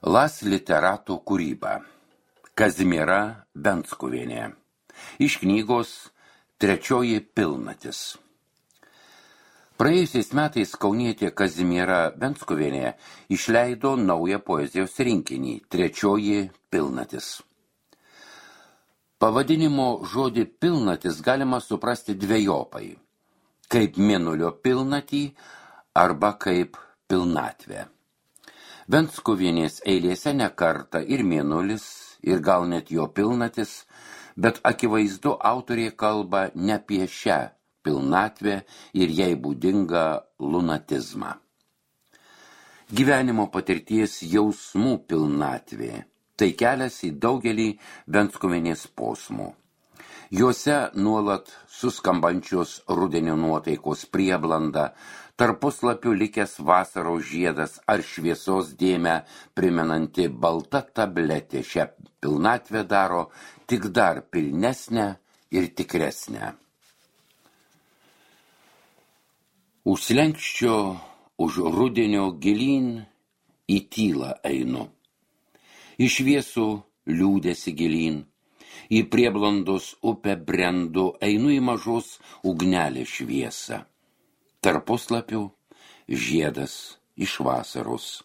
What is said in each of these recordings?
Las literato kūryba. Kazimiera Venskuvienė. Iš knygos Trečioji pilnatis. Praėjusiais metais kaunietė Kazimiera Venskuvienė išleido naują poezijos rinkinį Trečioji pilnatis. Pavadinimo žodį pilnatis galima suprasti dvejopai, kaip mėnulio pilnatį arba kaip pilnatvę. Venskuvienės eilėse ne kartą ir mėnulis, ir gal net jo pilnatis, bet akivaizdu autorė kalba ne apie šią pilnatvę ir jai būdingą lunatizmą. Gyvenimo patirties jausmų pilnatvė – tai kelias į daugelį Venskuvienės posmų. Juose nuolat suskambančios rudenio nuotaikos prieblanda, tarp puslapių likęs vasaros žiedas ar šviesos dėmę primenanti balta tabletė šią pilnatvę daro tik dar pilnesnę ir tikresnę. Už slenksčio, už rudenio gilyn į tylą einu. Į šviesų liūdėsi gilyn, į prieblandos upę brendu, einu į mažos ugnelės šviesą. Tarp puslapių žiedas iš vasaros,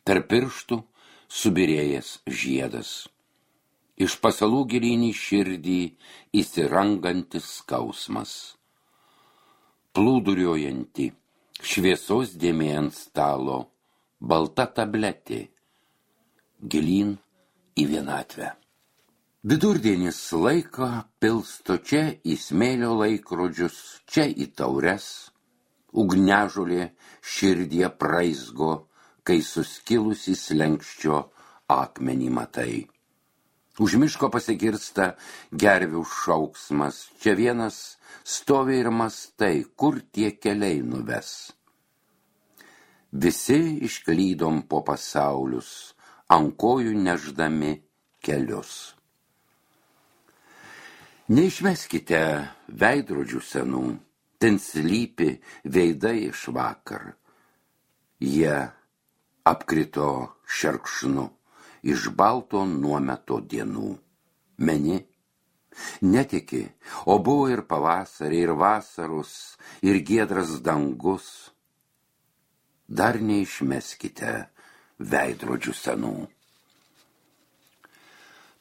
tarp pirštų subirėjęs žiedas. Iš pasalų gilyn į širdį įsirangantis skausmas. Plūduriuojanti šviesos dėmė ant stalo, balta tabletė, gilyn į vienatvę. Vidurdienis laiko pilsto čia į smėlio laikrodžius, čia į taures. Ugnežolė širdie praizgo, kai suskilusi slenksčio akmenį matai. Už miško pasigirsta gervių šauksmas, čia vienas stovi ir mastai, kur tie keliai nuves. Visi išklydom po pasaulius, ant kojų neždami kelius. Neišmeskite veidrodžių senų, ten slypi veidai iš vakar. Jie apkrito šerkšnu iš balto nuometo dienų. Meni? Netiki, o buvo ir pavasarį, ir vasaros, ir giedras dangus. Dar neišmeskite veidrodžių senų.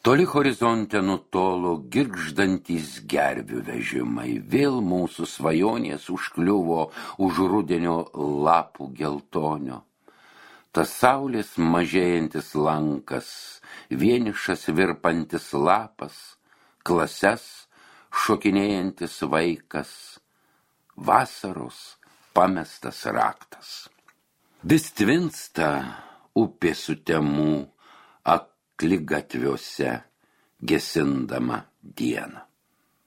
Toli horizonte nutolo girgždantys gervių vežimai, vėl mūsų svajonės užkliuvo už rudenio lapų geltonio. Tas saulės mažėjantis lankas, vienišas virpantis lapas, klases šokinėjantis vaikas, vasaros pamestas raktas. Vis tvinsta upė sutemų, gatviuose gesindama dieną.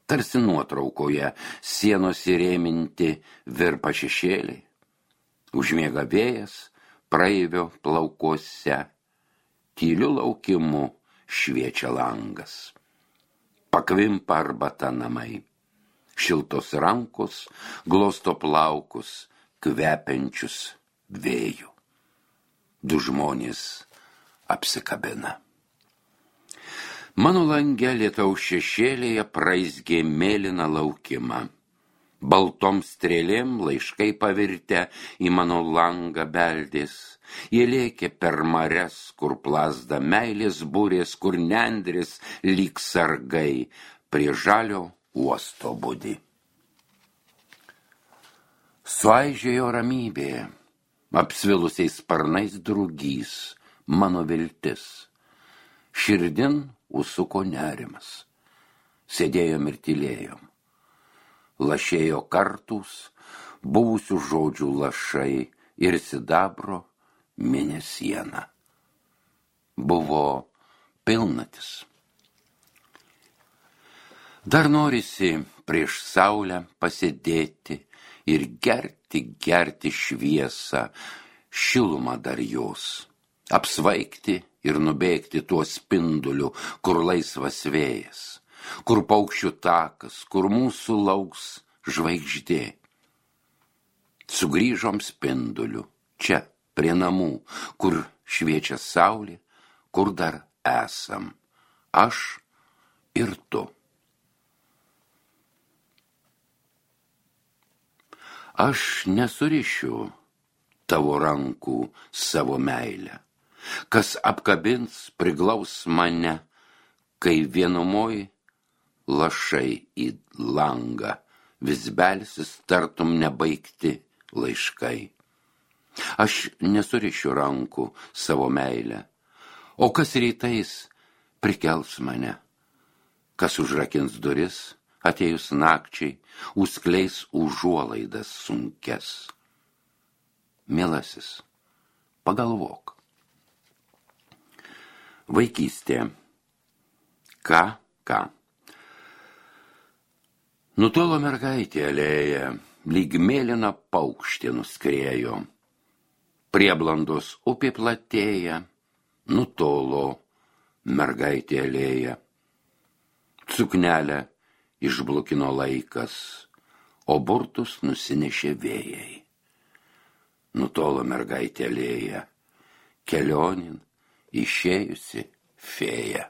Tarsi nuotraukoje sienos įrėminti virpa šešėliai. Užmiega vėjas praeivio plaukuose, tyliu laukimu šviečia langas. Pakvimpa arbata namai, šiltos rankos glosto plaukus, kvepiančius vėjų. Du žmonės apsikabina. Mano lange lietaus šešėlėje praizgė mėlyną laukimą. Baltom strėlėm laiškai pavirtę į mano langą beldės. Jie lėkė per marias, kur plazda meilės būrės, kur nendrės lyg sargai prie žalio uosto budi. Suaižėjo ramybė, apsvilusiais sparnais drugys, mano viltis. Širdin užsuko nerimas. Sėdėjom ir tylėjom. Lašėjo kartus, buvusių žodžių lašai ir sidabro mėnesiena. Buvo pilnatis. Dar norisi prieš saulę pasėdėti ir gerti šviesą, šilumą dar jos, apsvaigti ir nubėgti tuo spinduliu, kur laisvas vėjas, kur paukščių takas, kur mūsų lauks žvaigždė. Sugrįžom spinduliu, čia, prie namų, kur šviečia saulė, kur dar esam, aš ir tu. Aš nesurišiu tavo rankų savo meilę, kas apkabins, priglaus mane, kai vienumoj lašai į langą, vis belsis tartum nebaigti laiškai. Aš nesurišiu rankų savo meilę, o kas rytais prikels mane, kas užrakins duris, atėjus nakčiai, užskleis užuolaidas sunkes. Mielasis, pagalvok. Vaikystė. Ką? Nutolo mergaitė alėja, lyg mėlyna paukštė nuskriejo. Prieblandos upė platėja, nutolo mergaitė alėja. Suknelę išblukino laikas, o burtus nusinešė vėjai. Nutolo mergaitė alėja, kelionin išėjusi fėja.